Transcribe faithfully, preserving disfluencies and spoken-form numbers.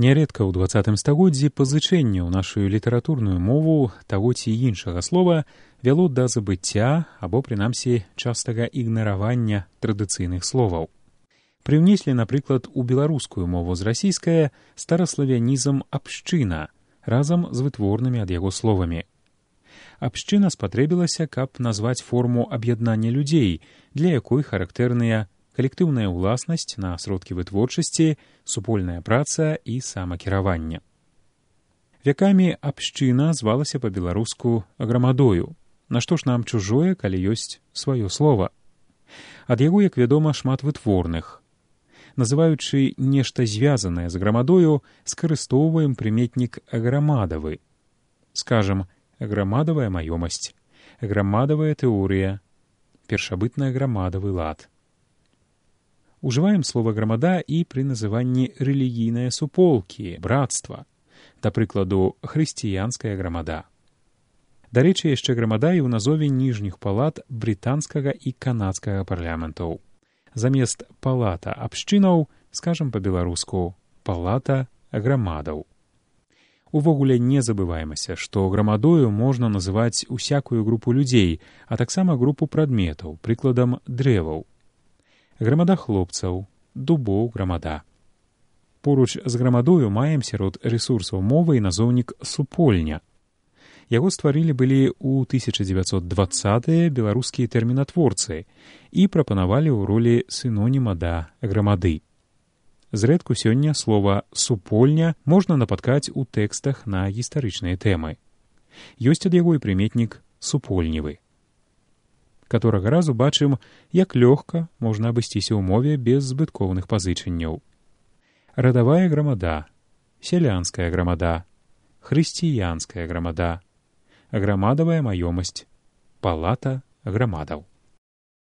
Нярэдка ў дваццатым стагоддзі пазычэнне ў нашу літаратурную мову таго ці іншага слова вяло да забыцця або, прынамсі, частага ігнаравання традыцыйных словаў. Прыўнеслі, напрыклад, у беларускую мову з расійскае стараславянізм «абшчына» разам з вытворнымі ад яго словамі. Абшчына спатрэбілася, каб назваць форму аб'яднання людзей, для якой характэрныя калектыўная ўласнасць на сродкі вытворчасці, супольная праца і самакіраванне. Вякамі абшчына звалася па-беларуску грамадою. Нашто ж нам чужое, калі ёсць сваё слова? Ад яго, як вядома, шмат вытворных. Называючы нешта звязанае з грамадою, скарыстоўваем прыметнік аграмадавы. Скажам, аграмадавая маёмасць, аграмадавая тэорыя, першабытна-аграмадавы лад. Ужываем слова «грамада» і пры называнні рэлігійныя суполкі, братства, да прыкладу, хрысціянская грамада. Дарэчы, яшчэ грамада і ў назове ніжніх палат брытанскага і канадскага парламентаў. Замест палата абшчынаў, скажам па-беларуску, палата грамадаў. Увогуле не забываемся, што грамадою можна называць усякую групу людзей, а таксама групу прадметаў, прыкладам дрэваў. Грамада хлопцаў, дубоў грамада. Поруч з грамадою маем сярод рэсурсаў мовы і назоўнік супольня. Яго стварылі былі ў тысяча дзевяцьсот дваццатыя беларускія тэрмінатворцы і прапанавалі ў ролі сіноніма да грамады. Зрэдку сёння слова «супольня» можна напаткаць у тэкстах на гістарычныя тэмы. Ёсць ад яго і прыметнік «супольнівы». Каторага разу бачым, як лёгка можна абысціся ў мове без збыткоўных пазычанняў. Радавая грамада, сялянская грамада, хрысціянская грамада, грамадавая маёмасць, палата грамадаў.